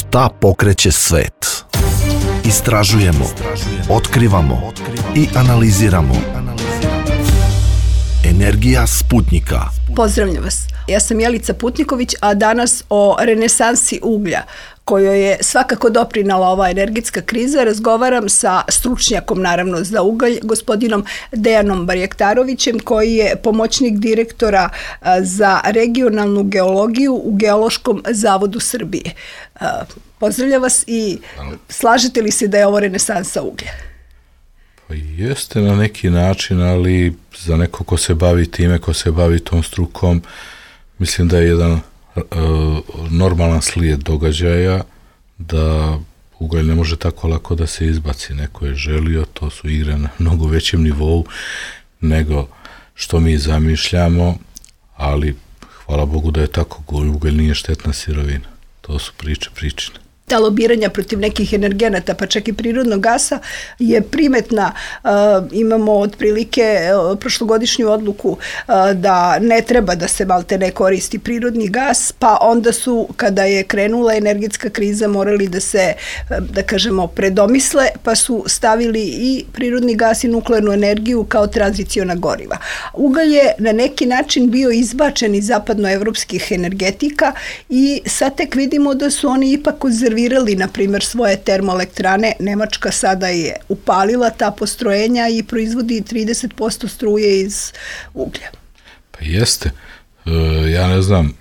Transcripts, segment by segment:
Šta pokreće svet? Istražujemo, otkrivamo i analiziramo. Energija Sputnjika. Pozdravljam vas. Ja sam Jelica Putniković, a danas o renesansi uglja, kojoj je svakako doprinala ova energetska kriza, razgovaram sa stručnjakom, naravno, za ugalj, gospodinom Dejanom Barjaktarovićem, koji je pomoćnik direktora za regionalnu geologiju u Geološkom zavodu Srbije. Pozdravljam vas i slažete li se da je ovo renesansa uglja? Pa jeste na neki način, ali za neko ko se bavi time, ko se bavi tom strukom, mislim da je jedan normalan slijed događaja, da ugalj ne može tako lako da se izbaci. Neko je želio, to su igre na mnogo većem nivou nego što mi zamišljamo, ali hvala Bogu da je tako, ugalj nije štetna sirovina. To su pričine. Ta lobiranja protiv nekih energenata, pa čak i prirodnog gasa, je primetna. Imamo otprilike prošlogodišnju odluku da ne treba da se maltene koristi prirodni gas, pa onda su, kada je krenula energetska kriza, morali da se, da kažemo, predomisle, pa su stavili i prirodni gas i nuklearnu energiju kao tranziciona goriva. Ugalj je na neki način bio izbačen iz zapadnoevropskih energetika i sad tek vidimo da su oni ipak konzervirali, na primjer, svoje termoelektrane. Nemačka sada je upalila ta postrojenja i proizvodi 30% struje iz uglja. Pa jeste. Ja ne znam,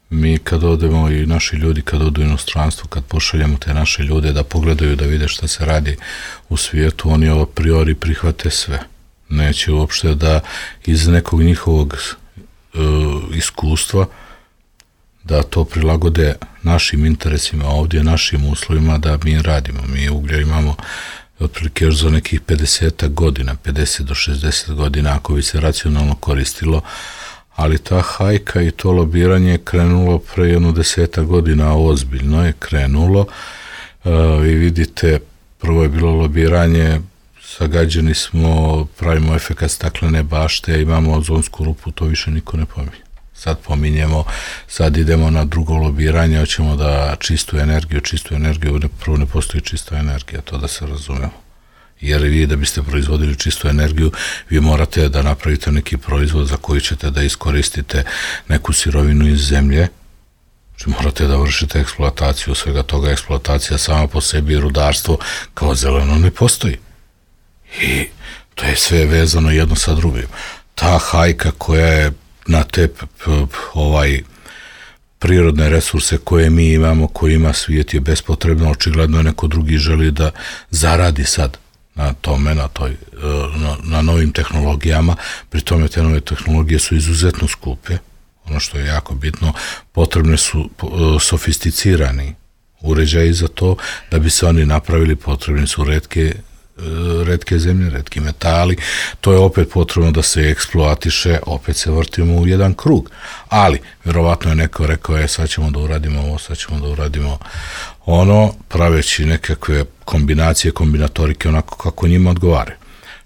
mi kad odemo i naši ljudi kad odu u inostranstvo, kad pošaljemo te naše ljude da pogledaju, da vide šta se radi u svijetu, oni a priori prihvate sve. Neće uopšte da iz nekog njihovog iskustva da to prilagode našim interesima ovdje, našim uslovima da mi radimo. Mi uglja imamo otprilike još za nekih 50 godina, 50 do 60 godina ako bi se racionalno koristilo, ali ta hajka i to lobiranje je krenulo pre jedno 10 godina, ozbiljno je krenulo. Vi vidite, prvo je bilo lobiranje, zagađeni smo, pravimo efekat staklene bašte, imamo ozonsku rupu, to više niko ne pominje. Sad pominjemo, sad idemo na drugo lobiranje, hoćemo da čistu energiju, prvo ne postoji čista energija, to da se razumemo. Jer vi da biste proizvodili čistu energiju, vi morate da napravite neki proizvod za koji ćete da iskoristite neku sirovinu iz zemlje, znači morate da vršite eksploataciju svega toga. Eksploatacija sama po sebi i rudarstvo kao zeleno ne postoji. I to je sve vezano jedno sa drugim. Ta hajka koja je na te prirodne resurse koje mi imamo, koje ima svijet, je bespotrebno. Očigledno neko drugi želi da zaradi sad na tome, na novim tehnologijama. Pri tome te nove tehnologije su izuzetno skupe. Ono što je jako bitno, potrebne su sofisticirani uređaji za to. Da bi se oni napravili, potrebni su retke zemlje, retki metali. To je opet potrebno da se eksploatiše, opet se vrtimo u jedan krug. Ali, vjerovatno je neko rekao, sad ćemo da uradimo ovo, sad ćemo da uradimo ono, praveći nekakve kombinacije, kombinatorike, onako kako njima odgovare.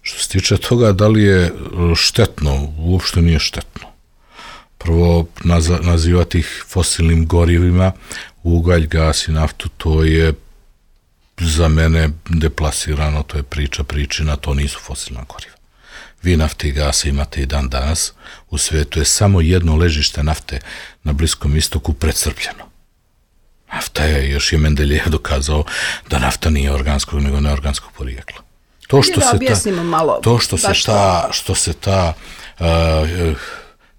Što se tiče toga, da li je štetno? Uopšte nije štetno. Prvo, nazivati ih fosilnim gorivima, ugalj, gas i naftu, to je za mene deplasirano, to je pričina, to nisu fosilna goriva. Vi nafte i gasa imate i dan danas, u svijetu je samo jedno ležište nafte na Bliskom istoku precrpljeno. Nafta je, još je Mendeljejev dokazao da nafta nije organskog nego neorganskog porijekla. Što se ta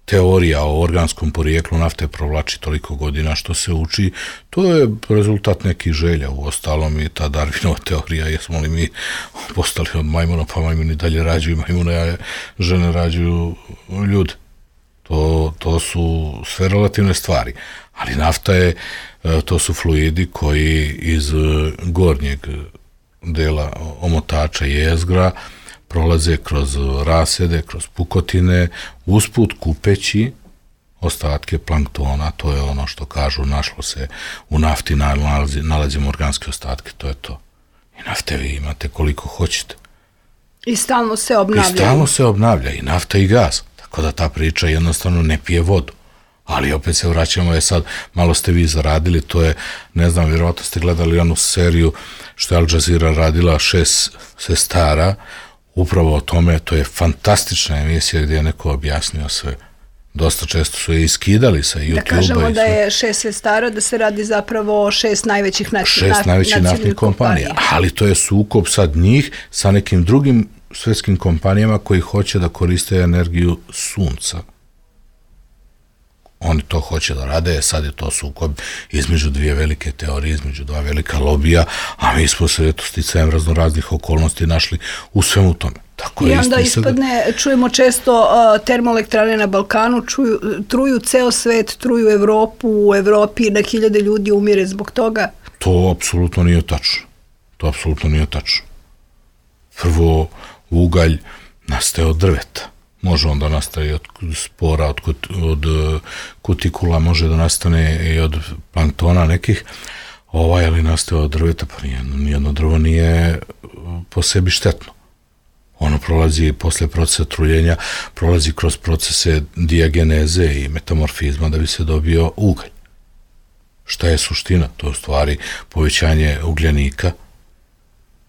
teorija o organskom porijeklu nafte provlači toliko godina, što se uči, to je rezultat nekih želja. Uostalom i ta Darwinova teorija, jesmo li mi postali od majmuna, pa majmuni dalje rađuju majmuna, a žene rađuju ljude. To su sve relativne stvari. Ali nafta je, to su fluidi koji iz gornjeg dela omotača jezgra prolaze kroz rasede, kroz pukotine, usput kupeći ostatke planktona. To je ono što kažu, našlo se u nafti, nalazimo organske ostatke, to je to. I nafte vi imate koliko hoćete. I stalno se obnavlja. I nafta i gas. Tako da ta priča jednostavno ne pije vodu. Ali opet se vraćamo, sad malo ste vi zaradili, to je, ne znam, vjerovatno ste gledali onu seriju što je Al Jazeera radila 6 sestara, upravo o tome, to je fantastična emisija gdje je neko objasnio sve. Dosta često su je iskidali sa YouTube-a. Da kažemo da je 6 sestara, da se radi zapravo o 6 najvećih naftnih kompanija. Ali to je sukob sad njih sa nekim drugim svjetskim kompanijama koji hoće da koriste energiju sunca. Oni to hoće da rade, sad je to sukob između dvije velike teorije, između dva velika lobija, a mi smo se sticajem raznoraznih okolnosti našli u svemu tome. Tako i onda ispadne, čujemo često termoelektrane na Balkanu, truju ceo svet, truju Evropu, u Evropi na 1000 ljudi umire zbog toga. To apsolutno nije tačno. Prvo, ugalj nastaje od drveta. Može onda nastaje od spora, od kutikula, može da nastane i od planktona nekih, ali nastaje od drveta, pa nijedno drvo nije po sebi štetno. Ono prolazi posle procesa truljenja, prolazi kroz procese dijageneze i metamorfizma da bi se dobio ugalj. Šta je suština? To je u stvari povećanje ugljenika.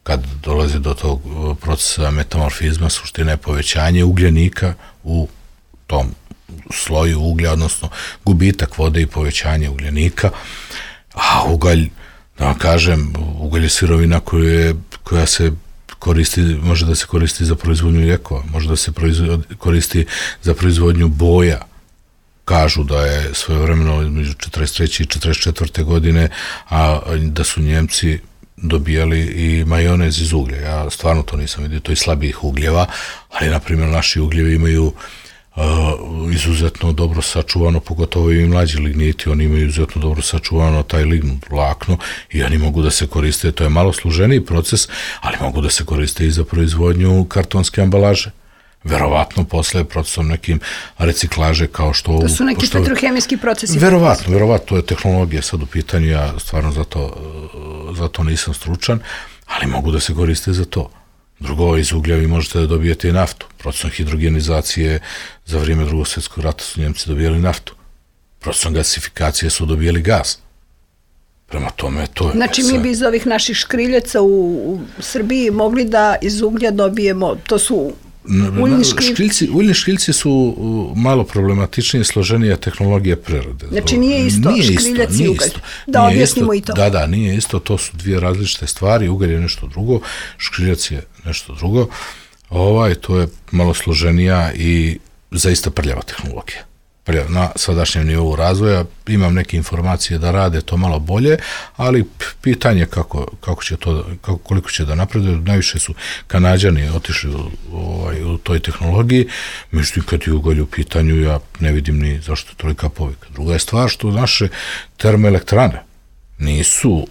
Kad dolazi do tog procesa metamorfizma, suština je povećanje ugljenika u tom sloju uglja, odnosno gubitak vode i povećanje ugljenika, a ugalj, da vam kažem, ugalj je sirovina koja se koristi, može da se koristi za proizvodnju lijekova, može da se koristi za proizvodnju boja. Kažu da je svojevremeno između 43. i 44. godine, a da su Njemci dobijali i majonez iz uglja. Ja stvarno to nisam vidio, to je slabijih ugljeva, ali, na primjer, naši ugljevi imaju izuzetno dobro sačuvano, pogotovo i mlađi ligniti, oni imaju izuzetno dobro sačuvano taj lignut vlakno i oni mogu da se koriste, to je malo složeniji proces, ali mogu da se koriste i za proizvodnju kartonske ambalaže. Verovatno posle procesom nekim reciklaže kao što... To su neki petrohemijski procesi. Verovatno, to je tehnologija sad u pitanju, ja stvarno zato nisam stručan, ali mogu da se koriste za to. Drugo, iz uglja vi možete da dobijete i naftu. Procesom hidrogenizacije za vrijeme Drugog svjetskog rata su Njemci dobijali naftu. Procesom gasifikacije su dobijali gas. Prema tome, to je... Znači, mi bi iz ovih naših škriljaca u Srbiji mogli da iz uglja dobijemo, to su... Uljni škriljci su malo problematičnije, složenija tehnologija prerade. Znači nije isto škriljac i ugalj. Da objasnimo i to. Da, nije isto, to su dvije različite stvari, ugalj je nešto drugo, škriljac je nešto drugo. To je malo složenija i zaista prljava tehnologija. Na sadašnjem nivou razvoja imam neke informacije da rade to malo bolje, ali pitanje koliko će da napreduju. Najviše su Kanađani otišli u toj tehnologiji, međutim kad je ugalj u pitanju ja ne vidim ni zašto je tolika povika. Druga je stvar što naše termoelektrane nisu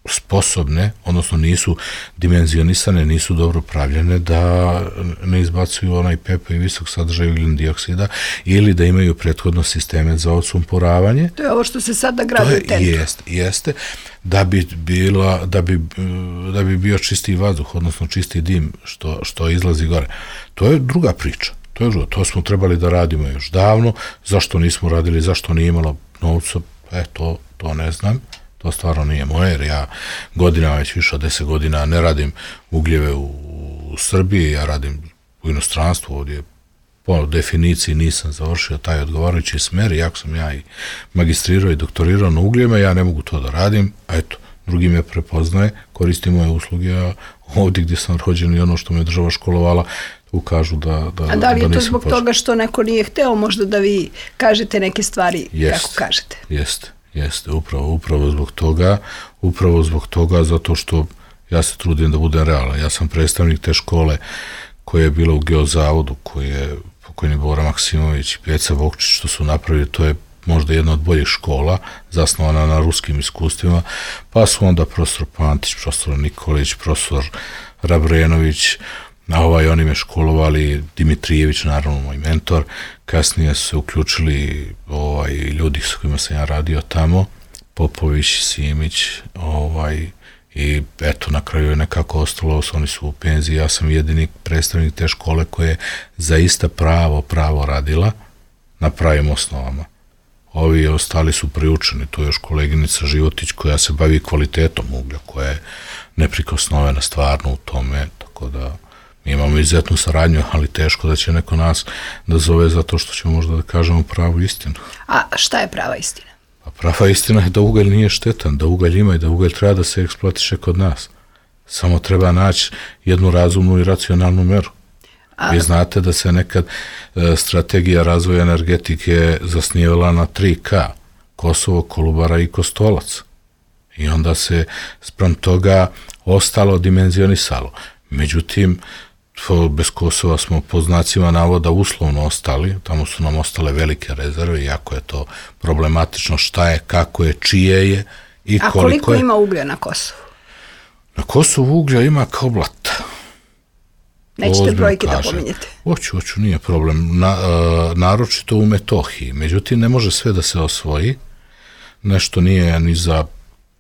sposobne, odnosno nisu dimenzionisane, nisu dobro pravljene da ne izbacuju onaj pepeo i visok sadržaj ugljen dioksida ili da imaju prethodno sisteme za odsumporavanje. To je ovo što se sada gradi u tentu. Jeste, da bi bio čisti vazduh, odnosno čisti dim što izlazi gore. To je druga priča. To smo trebali da radimo još davno. Zašto nismo radili, zašto nije imalo novca, to ne znam. To stvarno nije moje, jer ja godinama, već više od 10 godina, ne radim ugljeve u Srbiji, ja radim u inostranstvu, ovdje po definiciji nisam završio taj odgovarajući smer, iako sam ja i magistrirao i doktorirao na ugljevima, ja ne mogu to da radim, a eto, drugi me prepoznaje, koristim moje usluge, a ovdje gdje sam rođen i ono što me država školovala, ukažu da A da li je to zbog toga što neko nije hteo možda da vi kažete neke stvari kako kažete? Jeste, upravo zbog toga, zato što ja se trudim da budem realan. Ja sam predstavnik te škole koja je bila u Geozavodu, koji je pokojni Bora Maksimović i Pjeca Vokčić što su napravili, to je možda jedna od boljih škola, zasnovana na ruskim iskustvima, pa su onda profesor Pantić, profesor Nikolić, profesor Rabrenović, oni me školovali, Dimitrijević, naravno moj mentor, kasnije su se uključili ljudi s kojima sam ja radio tamo, Popović, Simić, i eto, na kraju je nekako ostalo, oni su u penziji, ja sam jedini predstavnik te škole koja je zaista pravo radila na pravim osnovama. ovi ostali su priučeni, to je još koleginica Životić koja se bavi kvalitetom uglja, koja je neprikosnovena stvarno u tome, tako da mi imamo izuzetnu saradnju, ali teško da će neko nas da zove zato što će možda da kažemo pravu istinu. A šta je prava istina? A prava istina je da ugalj nije štetan, da ugalj ima i da ugalj treba da se eksploatiše kod nas. Samo treba naći jednu razumnu i racionalnu meru. Vi znate da se nekad strategija razvoja energetike zasnijevala na 3K, Kosovo, Kolubara i Kostolac. I onda se spram toga ostalo dimenzionisalo. Međutim, bez Kosova smo po znacima navoda uslovno ostali, tamo su nam ostale velike rezerve, iako je to problematično šta je, kako je, čije je i koliko je. A koliko ima uglja na Kosovu? Na Kosovu uglja ima kao blata. Nećete brojke da pominjete? Hoću, nije problem. Naročito u Metohiji. Međutim, ne može sve da se osvoji. Nešto nije ni za,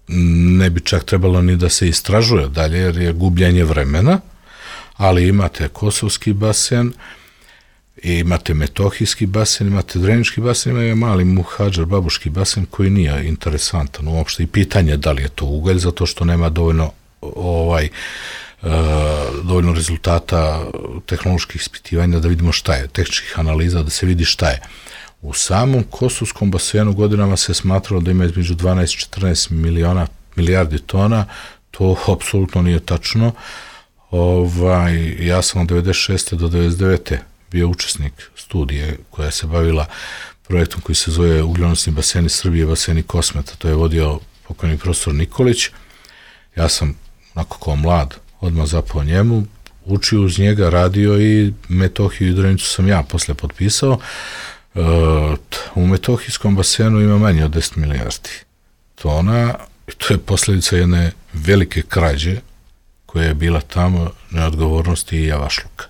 ne bi čak trebalo ni da se istražuje dalje, jer je gubljenje vremena, ali imate Kosovski basen, imate Metohijski basen, imate Drenički basen, ima mali Muhadžar Babuški basen koji nije interesantan uopšte i pitanje da li je to ugalj, zato što nema dovoljno dovoljno rezultata tehnoloških ispitivanja da vidimo šta je, tehničkih analiza da se vidi šta je. U samom Kosovskom basenu godinama se smatralo da ima između 12-14 milijardi tona, to apsolutno nije tačno. Ja sam od 96. do 99. bio učesnik studije koja se bavila projektom koji se zove Ugljonosni baseni Srbije, baseni Kosmeta, to je vodio pokojni profesor Nikolić. Ja sam, onako kao mlad, odmah zapao njemu, učio uz njega, radio i Metohiju i Drenicu sam ja posle potpisao. U Metohijskom basenu ima manje od 10 milijardi tona i to je posljedica jedne velike krađe koja je bila tamo, neodgovornosti i javašluka.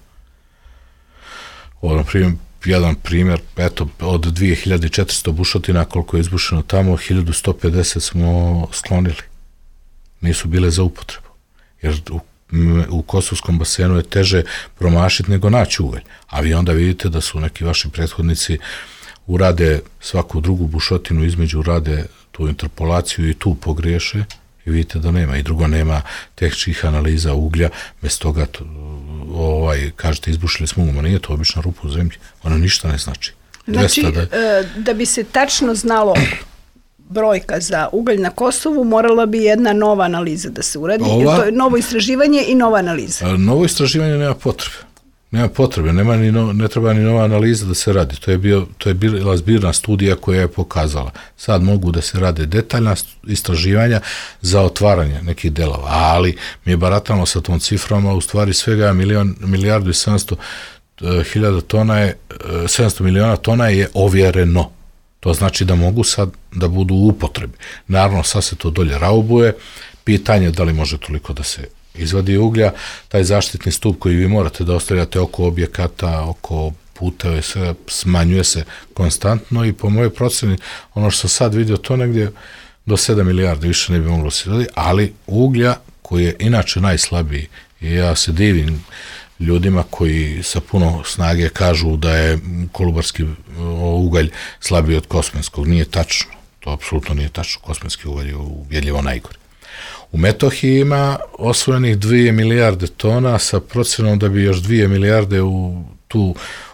Jedan primjer, eto, od 2400 bušotina koliko je izbušeno tamo, 1150 smo sklonili. Nisu bile za upotrebu. Jer u Kosovskom basenu je teže promašiti nego naći ugalj. A vi onda vidite da su neki vaši prethodnici urade svaku drugu bušotinu, između urade tu interpolaciju i tu pogriješe i vidite da nema. I drugo, nema tehničkih analiza uglja, bez toga kažete izbušili smo ugalj, nije to obična rupa u zemlji, ono ništa ne znači. Znači, da bi se tačno znalo brojka za ugalj na Kosovu, morala bi jedna nova analiza da se uradi. To je novo istraživanje i nova analiza. Novo istraživanje nema potrebe. Ne treba ni nova analiza da se radi. To je bila zbirna studija koja je pokazala. Sad mogu da se rade detaljna istraživanja za otvaranje nekih delova, ali mi baratamo sa tom ciframa, u stvari svega milijardu i 700 miliona tona je ovjereno. To znači da mogu sad da budu u upotrebi. Naravno, sad se to dolje raubuje. Pitanje je da li može toliko da se izvadi uglja. Taj zaštitni stup koji vi morate da ostavljate oko objekata, oko puteva, sve smanjuje se konstantno i po mojoj proceni, ono što sam sad vidio, to negdje do 7 milijardi više ne bi moglo se izvadi, ali uglja koji je inače najslabiji, i ja se divim ljudima koji sa puno snage kažu da je kolubarski ugalj slabiji od kosmenskog. Nije tačno. To apsolutno nije tačno. Kosmenski ugalj je ubjedljivo najgori. U Metohiji ima osvojenih 2 milijarde tona sa procenom da bi još 2 milijarde u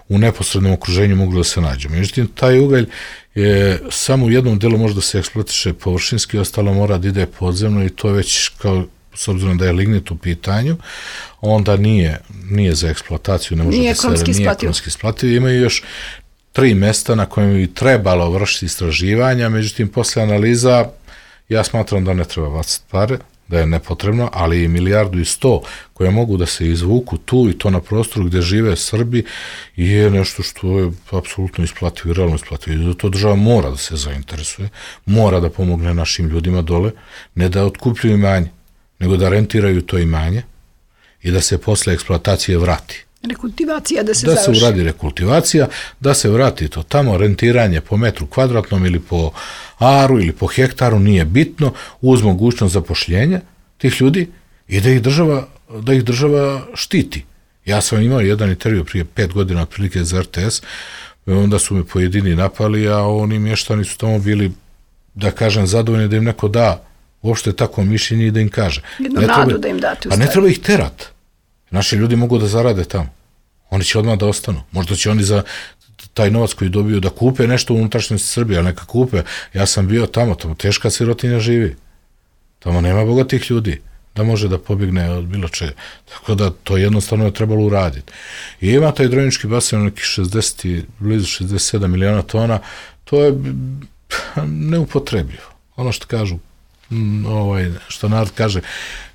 neposrednom okruženju moglo da se nađe. Međutim, taj ugalj je samo u jednom delu može da se eksploatiše površinski, ostalo mora da ide podzemno i to je već kao, s obzirom da je lignit u pitanju, onda nije za eksploataciju, nije ekonomski isplativo. Imaju još 3 mesta na kojem bi trebalo vršiti istraživanja, međutim, posle analiza ja smatram da ne treba baciti pare, da je nepotrebno, ali i 1,1 milijardu koje mogu da se izvuku tu i to na prostoru gde žive Srbi je nešto što je apsolutno isplativo i realno isplativo. I zato država mora da se zainteresuje, mora da pomogne našim ljudima dole, ne da otkupljuju imanje, nego da rentiraju to imanje i da se posle eksploatacije vrati. Rekultivacija da se završi. Da se uradi rekultivacija, da se vrati to tamo, rentiranje po metru kvadratnom ili po aru ili po hektaru, nije bitno, uz mogućnost zapošljenja tih ljudi i da ih država štiti. Ja sam imao jedan intervju prije 5 godina otprilike za RTS, onda su me pojedini napali, a oni mještani su tamo bili, da kažem, zadovoljni da im neko da uopšte tako mišljenje i da im kaže. Jednu nadu da im date u stvari. A ne treba ih terat. Naši ljudi mogu da zarade tamo. Oni će odmah da ostanu. Možda će oni za taj novac koji dobiju da kupe nešto u unutrašnjosti Srbije, ali neka kupe. Ja sam bio tamo teška sirotinja živi. Tamo nema bogatih ljudi da može da pobjegne od bilo čega. Tako da to jednostavno je trebalo uraditi. I ima taj Dronički basen nekih 60, blizu 67 miliona tona, to je neupotrebljivo. Ono što kažu, što narod kaže,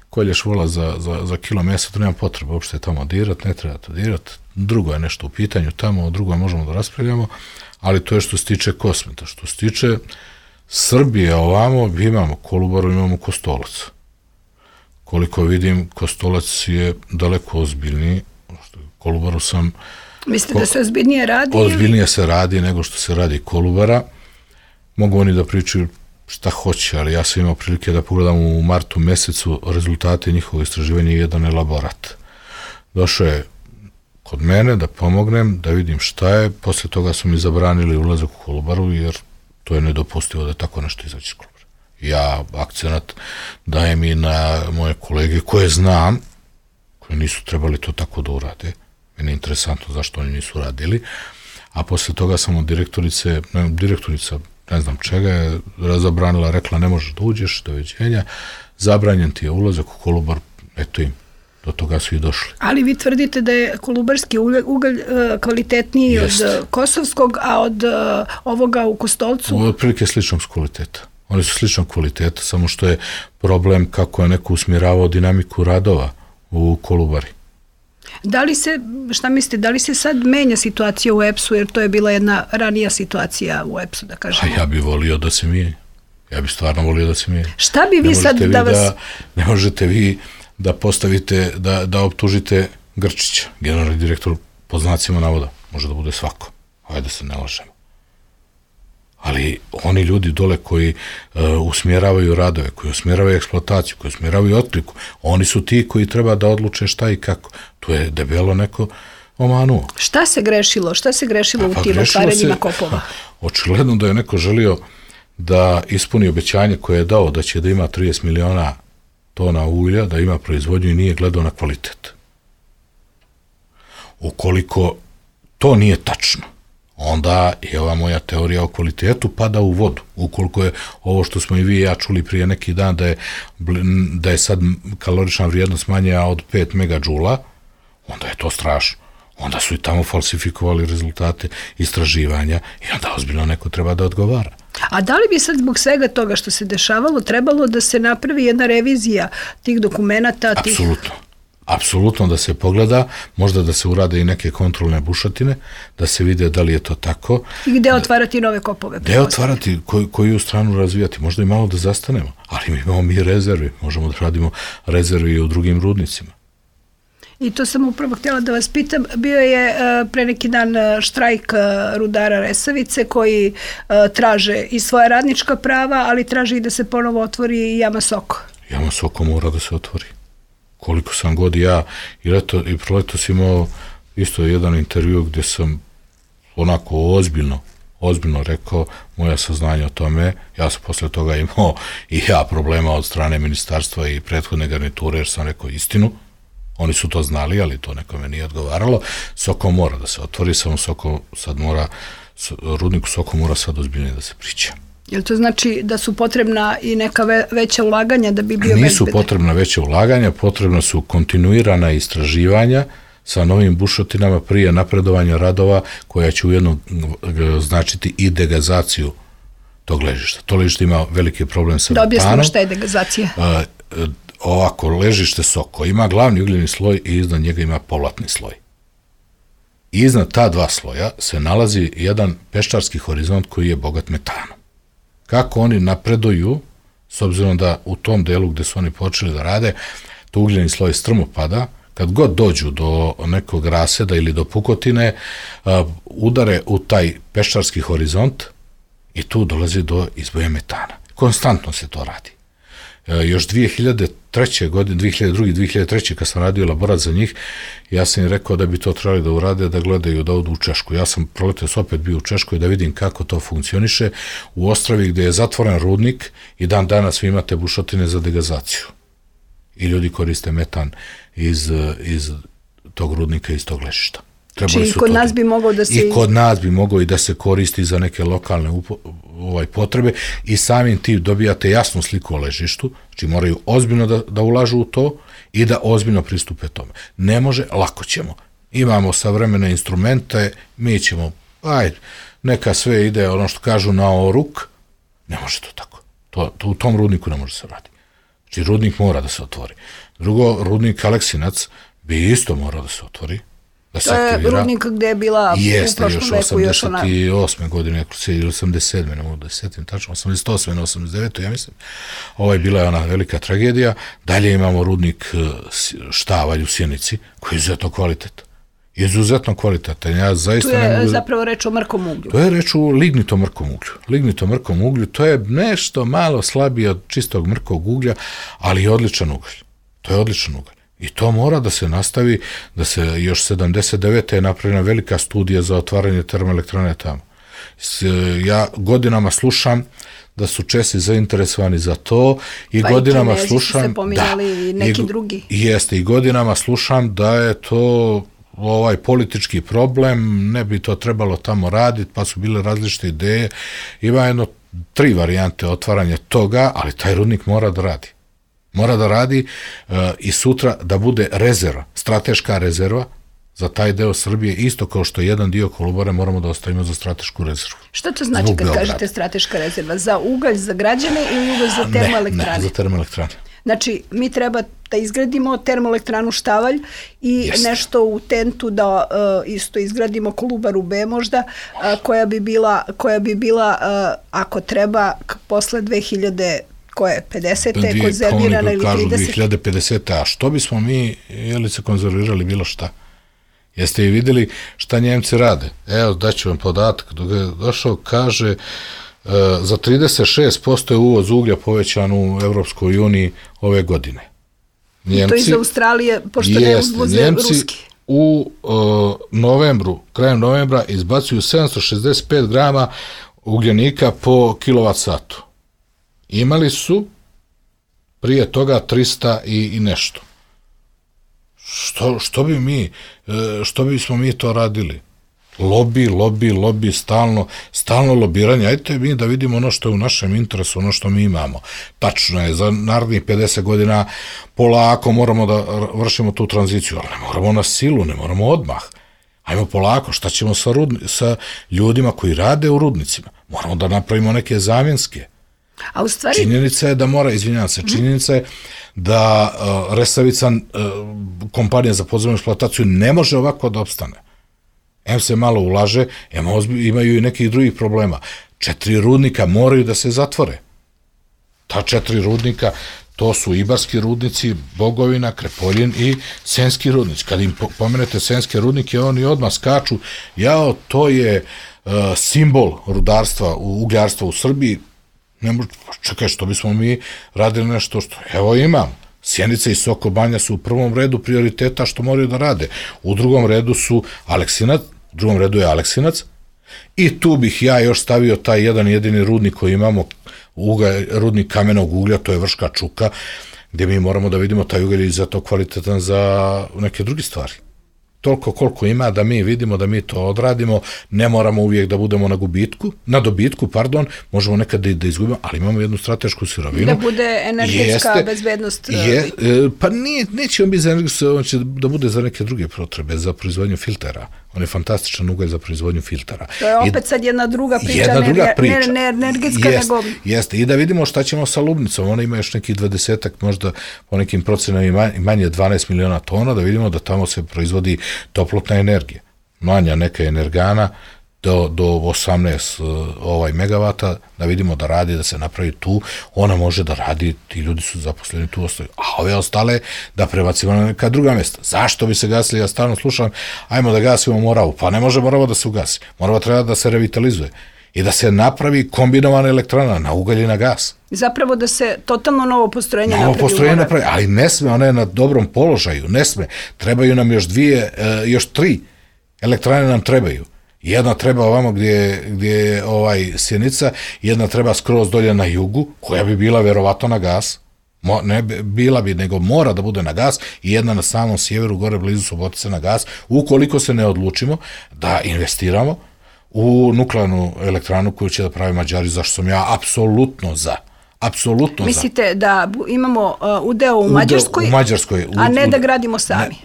kolješ vola za kilo mesa, to nema potrebe uopšte tamo dirat, ne treba to dirat. Drugo je nešto u pitanju tamo, drugo možemo da raspravljamo, ali to je što se tiče Kosmeta. Što se tiče Srbije ovamo, imamo Kolubaru, imamo Kostolac. Koliko vidim, Kostolac je daleko ozbiljniji. Kolubaru sam... Mislite da se ozbiljnije radi? Ozbiljnije se radi nego što se radi Kolubara. Mogu oni da pričaju šta hoće, ali ja sam imao prilike da pogledam u martu mesecu rezultate njihovog istraživanja i jedan elaborat. Došao je kod mene da pomognem, da vidim šta je, posle toga su mi zabranili ulazak u Kolubaru, jer to je nedopustivo da tako nešto izaći iz Kolubara. Ja akcenat dajem i na moje kolege koje znam, koji nisu trebali to tako da urade. Meni je interesantno zašto oni nisu radili, a posle toga sam od direktorica, ne znam čega je razabranila, rekla ne možeš da uđeš, doviđenja, zabranjen ti je ulazak u Kolubar, eto im, do toga su i došli. Ali vi tvrdite da je kolubarski ugalj kvalitetniji od kosovskog, a od ovoga u Kostolcu? Otprilike sličnog kvaliteta. Oni su sličnog kvaliteta, samo što je problem kako je neko usmjeravao dinamiku radova u Kolubari. Da li se, šta mislite, da li se sad menja situacija u EPS-u, jer to je bila jedna ranija situacija u EPS-u, da kažemo? A ja bih volio da se mijenja. Ja bih stvarno volio da se mijenja. Šta bi vi sad da vas... Ne možete vi da postavite, da optužite Grčića, generalni direktor po znacima navoda. Može da bude svako. Hajde se ne lažemo. Ali oni ljudi dole koji usmjeravaju radove, koji usmjeravaju eksploataciju, koji usmjeravaju otkliku, oni su ti koji treba da odluče šta i kako. To je debelo neko omanuo. Šta se grešilo? Šta se grešilo u tim otvaranjima kopova? Očigledno da je neko želio da ispuni obećanje koje je dao da će da ima 30 miliona tona ulja, da ima proizvodnju i nije gledao na kvalitet. Ukoliko to nije tačno, onda je ova moja teorija o kvalitetu pada u vodu. Ukoliko je ovo što smo i vi i ja čuli prije neki dan da je sad kalorična vrijednost manja od 5 megadžula, onda je to strašno. Onda su i tamo falsifikovali rezultate istraživanja i onda ozbiljno neko treba da odgovara. A da li bi sad zbog svega toga što se dešavalo trebalo da se napravi jedna revizija tih dokumenata? Apsolutno. Apsolutno da se pogleda, možda da se urade i neke kontrolne bušotine, da se vide da li je to tako. I gde otvarati nove kopove? Gde otvarati, koju stranu razvijati, možda i malo da zastanemo, ali mi imamo rezervi, možemo da radimo rezervi i u drugim rudnicima. I to sam upravo htjela da vas pitam, bio je pre neki dan štrajk rudara Resavice koji traže i svoja radnička prava, ali traže i da se ponovo otvori Jama Soko. Jama Soko mora da se otvori. Koliko sam god ja i proletos imao isto jedan intervju gdje sam onako ozbiljno rekao moja saznanja o tome. Ja sam posle toga imao i ja problema od strane ministarstva i prethodne garniture jer sam rekao istinu. Oni su to znali, ali to nekome nije odgovaralo. Soko mora da se otvori, samo Soko sad mora, rudniku Soko mora sad ozbiljnije da se priča. Jel to znači da su potrebna i neka veća ulaganja da bi bio bezbedan? Nisu potrebna veća ulaganja, potrebna su kontinuirana istraživanja sa novim bušotinama prije napredovanja radova koja će ujedno značiti i degazaciju tog ležišta. To ležište ima veliki problem sa metanom. Da objasnimo šta je degazacija. Ovako, ležište Soko ima glavni ugljeni sloj i iznad njega ima povratni sloj. Iznad ta dva sloja se nalazi jedan peščarski horizont koji je bogat metanom. Kako oni napreduju, s obzirom da u tom delu gde su oni počeli da rade, to ugljeni sloj strmo pada, kad god dođu do nekog raseda ili do pukotine, udare u taj peščarski horizont i tu dolazi do izboja metana. Konstantno se to radi. Još 2003. godine, 2002. 2003. kad sam radio elaborat za njih, ja sam im rekao da bi to trebali da urade, da gledaju, da odu u Češku. Ja sam proletos opet bio u Češkoj da vidim kako to funkcioniše u Ostravi gde je zatvoren rudnik i dan danas vi imate bušotine za degazaciju. I ljudi koriste metan iz tog rudnika, iz tog ležišta. Znači, kod nas bi mogao da se... I kod nas bi mogao i da se koristi za neke lokalne potrebe i samim tim dobijate jasnu sliku o ležištu, znači moraju ozbiljno da ulažu u to i da ozbiljno pristupe tome. Ne može, lako ćemo. Imamo savremene instrumente, mi ćemo, neka sve ide, ono što kažu, na oruk, ne može to tako. U tom rudniku ne može se raditi. Znači, rudnik mora da se otvori. Drugo, rudnik Aleksinac bi isto morao da se otvori. To je rudnik gde je bila u prošlom veku još ona... 88. godine, ili 87. ne mogu da se setim tačno, 88. na 89. ja mislim. Bila je ona velika tragedija. Dalje imamo rudnik Štavalj u Sjenici, koji je izuzetno kvalitetan. Izuzetno kvalitetan. Ja zaista tu je zapravo reč o mrkom uglju. To je reč o lignitom mrkom uglju. Lignitom mrkom uglju, to je nešto malo slabije od čistog mrkog uglja, ali je odličan ugalj. To je odličan ugalj. I to mora da se nastavi, da se još 79. je napravljena velika studija za otvaranje termoelektrane tamo. Ja godinama slušam da su Česi zainteresovani za to i godinama slušam... Pa i Kinezi su se pominjali i neki drugi. Jeste, i godinama slušam da je to politički problem, ne bi to trebalo tamo raditi, pa su bile različite ideje. Ima 3 varijante otvaranja toga, ali taj rudnik mora da radi. Mora da radi i sutra da bude rezerva, strateška rezerva za taj deo Srbije, isto kao što jedan dio Kolubare moramo da ostavimo za stratešku rezervu. Šta to znači kad kažete strateška rezerva? Za ugalj za građane ili ugalj za termoelektrane? Ne, za termoelektrane. Znači, mi treba da izgradimo termoelektranu Štavalj i nešto u Tentu da isto izgradimo Kolubaru B možda, koja bi bila ako treba, posle 2000 koje 50. konzervirana ili 30. 2050. A što bismo mi, se konzervirali bilo šta? Jeste i videli šta Njemci rade? Evo, daću vam podatak. Dok je došao, kaže, za 36% je uvoz uglja povećan u Evropskoj uniji ove godine. Njemci, i to iz Australije, pošto ne uvoze ruski. U krajem novembra izbacuju 765 grama ugljenika po kilovat-satu. Imali su prije toga 300 i nešto. Što bismo mi to radili? Lobi, stalno lobiranje. Ajde mi da vidimo ono što je u našem interesu, ono što mi imamo. Tačno je, za narednih 50 godina polako moramo da vršimo tu tranziciju, ali ne moramo na silu, ne moramo odmah. Ajmo polako, šta ćemo sa ljudima koji rade u rudnicima? Moramo da napravimo neke zamjenske. A u stvari... Činjenica je da činjenica je da Resavica, kompanija za podzemnu eksploataciju, ne može ovako da opstane. Se malo ulaže, imaju i nekih drugih problema. 4 rudnika moraju da se zatvore. Ta 4 rudnika, to su Ibarski rudnici, Bogovina, Krepoljin i Senski rudnici. Kad im pomenete Senske rudnike, oni odmah skaču, to je simbol rudarstva, ugljarstva u Srbiji. Čekaj, što bismo mi radili nešto što... Evo imam. Sjenica i Soko Banja su u prvom redu prioriteta što moraju da rade. U drugom redu su je Aleksinac i tu bih ja još stavio taj jedan jedini rudnik koji imamo, rudnik kamenog uglja, to je Vrška Čuka, gde mi moramo da vidimo taj ugalj izuzetno kvalitetan za neke druge stvari. Toliko koliko ima da mi vidimo, da mi to odradimo, ne moramo uvijek da budemo na dobitku, možemo nekad da izgubimo, ali imamo jednu stratešku sirovinu. Da bude energetska bezbednost. Pa neće on biti za energetsku, on će da bude za neke druge potrebe, za proizvodnju filtera. On je fantastičan ugalj za proizvodnju filtera. To je opet sad jedna druga priča, ne energetska nego... Jeste, i da vidimo šta ćemo sa Lubnicom. Ona ima još nekih 20-ak, možda po nekim procenama manje 12 miliona tona, da vidimo da tamo se proizvodi toplotna energija. Manja neka energana do 18 megavata, da vidimo da radi, da se napravi tu, ona može da radi, ti ljudi su zaposleni tu, ostaju, a ove ostale da prebacimo na neka druga mjesta. Zašto bi se gasili? Ja stalno slušam, ajmo da gasimo Moravu, pa ne može Morava da se ugasi, Morava treba da se revitalizuje. i da se napravi kombinovana elektrana na ugalj i na gas. Zapravo da se totalno novo postrojenje napravi, ali ne sme, ona je na dobrom položaju, ne sme. Trebaju nam još 3 elektrane nam trebaju. Jedna treba ovamo gdje je Sjenica, jedna treba skroz dolje na jugu, koja bi bila verovatno na gas. Ne bila bi, nego mora da bude na gas, i jedna na samom sjeveru, gore blizu Subotice na gas, ukoliko se ne odlučimo da investiramo u nuklearnu elektranu koju će da pravi Mađari, zašto sam ja apsolutno za. Mislite da imamo udeo u Mađarskoj, a ne da gradimo sami?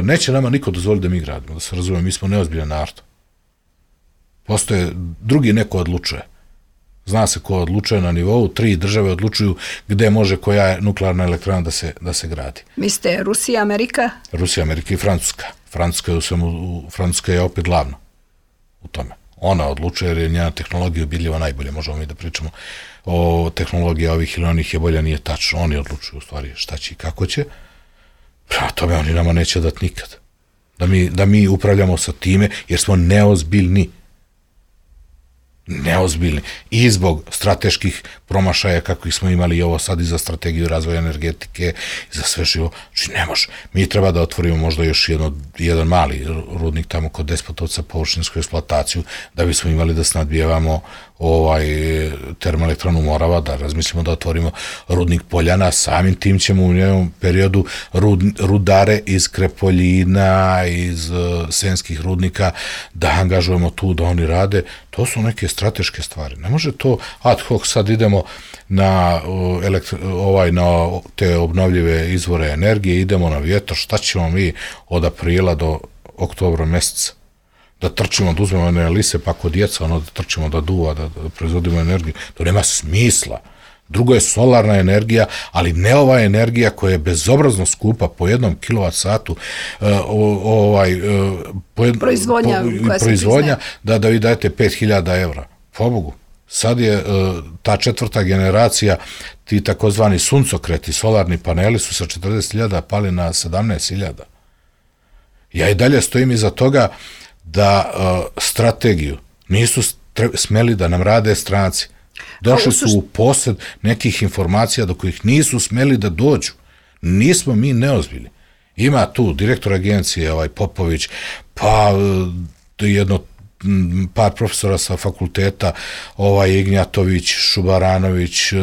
Neće nama niko dozvoliti da mi gradimo, da se razumemo, mi smo neozbiljan narod. Postoje, drugi neko odlučuje. Zna se ko odlučuje na nivou, 3 države odlučuju gde može koja je nuklearna elektrana da se gradi. Mislite Rusija, Amerika? Rusija, Amerika i Francuska. Francuska je opet glavna u tome. Ona odlučuje jer je njena tehnologija ubiljiva najbolje. Možemo mi da pričamo o tehnologiji ovih ili onih je bolja, nije tačno. Oni odlučuju u stvari šta će i kako će. Prema tome oni nama neće dati nikad. Da mi upravljamo sa time jer smo neozbiljni. I zbog strateških promašaja kakvih smo imali i ovo sad i za strategiju razvoja energetike i za sve živo. Znači ne može. Mi treba da otvorimo možda još jedan mali rudnik tamo kod Despotovca, površinsku eksploataciju, da bismo imali da snadbijevamo termoelektranu Morava, da razmislimo da otvorimo rudnik Poljana, samim tim ćemo u njenom periodu rudare iz Krepoljina, iz Senskih rudnika da angažujemo tu, da oni rade. To su neke strateške stvari. Ne može to ad hoc, sad idemo na te obnovljive izvore energije, idemo na vjetar, šta ćemo mi od aprila do oktobra mjeseca? Da trčimo, da uzmemo one lise, pa kod djeca, da trčimo, da duva, da proizvodimo energiju. To nema smisla. Drugo je solarna energija, ali ne ova energija koja je bezobrazno skupa po 1 kWh proizvodnja, da vi dajete 5.000 evra. Pobogu. Sad je ta 4. generacija, ti takozvani suncokreti, solarni paneli su sa 40.000 pali na 17.000. Ja i dalje stojim iza toga da strategiju nisu smeli da nam rade stranci. Došli su u posjed nekih informacija do kojih nisu smeli da dođu. Nismo mi neozbiljni. Ima tu direktor agencije, Popović, pa par profesora sa fakulteta, Ignjatović, Šubaranović,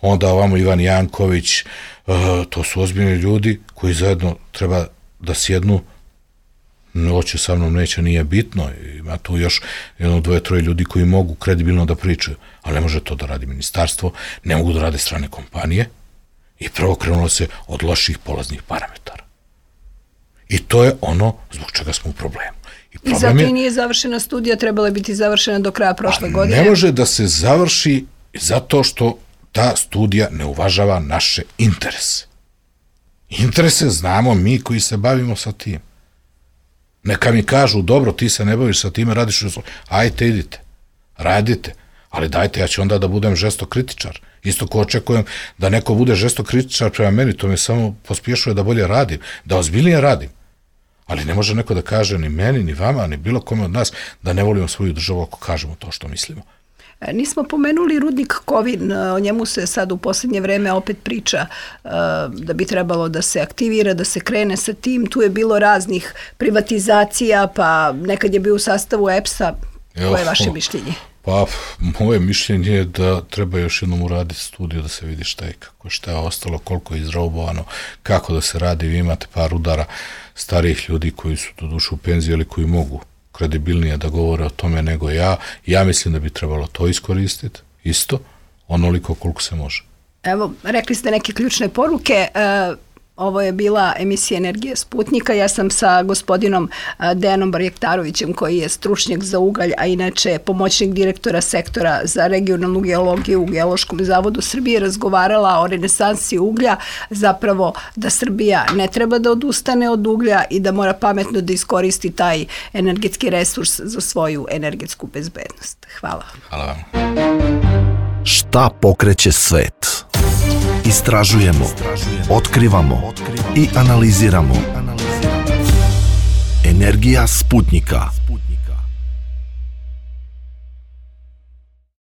onda ovamo Ivan Janković. To su ozbiljni ljudi koji zajedno treba da sjednu. Hoće sa mnom, neće, nije bitno. Ima tu još 2-3 ljudi koji mogu kredibilno da pričaju, ali ne može to da radi ministarstvo, ne mogu da rade strane kompanije i prvo krenulo se od loših polaznih parametara. I to je ono zbog čega smo u problemu. I zato i nije završena studija, trebala je biti završena do kraja prošle godine. Ne može da se završi zato što ta studija ne uvažava naše interese. Interese znamo mi koji se bavimo sa tim. Neka mi kažu, dobro, ti se ne baviš sa time, radiš, ajte, idite, radite, ali dajte, ja ću onda da budem žestok kritičar. Isto ko očekujem da neko bude žestok kritičar prema meni, to me samo pospješuje da bolje radim, da ozbiljnije radim. Ali ne može neko da kaže ni meni, ni vama, ni bilo kome od nas da ne volimo svoju državu ako kažemo to što mislimo. Nismo pomenuli rudnik Kovin, o njemu se sad u posljednje vreme opet priča da bi trebalo da se aktivira, da se krene sa tim. Tu je bilo raznih privatizacija, pa nekad je bio u sastavu EPS-a. Koje je vaše mišljenje? Pa, moje mišljenje je da treba još jednom uraditi studiju da se vidi šta je kako, šta je ostalo, koliko je izraubovano, kako da se radi. Vi imate par udara starijih ljudi koji su doduše u penziji ili koji mogu kredibilnije da govore o tome nego ja. Ja mislim da bi trebalo to iskoristiti, isto, onoliko koliko se može. Evo, rekli ste neke ključne poruke. Ovo je bila emisija Energija Sputnika. Ja sam sa gospodinom Dejanom Barjektarovićem, koji je stručnjak za ugalj, a inače pomoćnik direktora sektora za regionalnu geologiju u Geološkom zavodu Srbije, razgovarala o renesansi uglja, zapravo da Srbija ne treba da odustane od uglja i da mora pametno da iskoristi taj energetski resurs za svoju energetsku bezbednost. Hvala. Hvala vam. Šta pokreće svet? Istražujemo, otkrivamo i analiziramo. Energija Sputnika.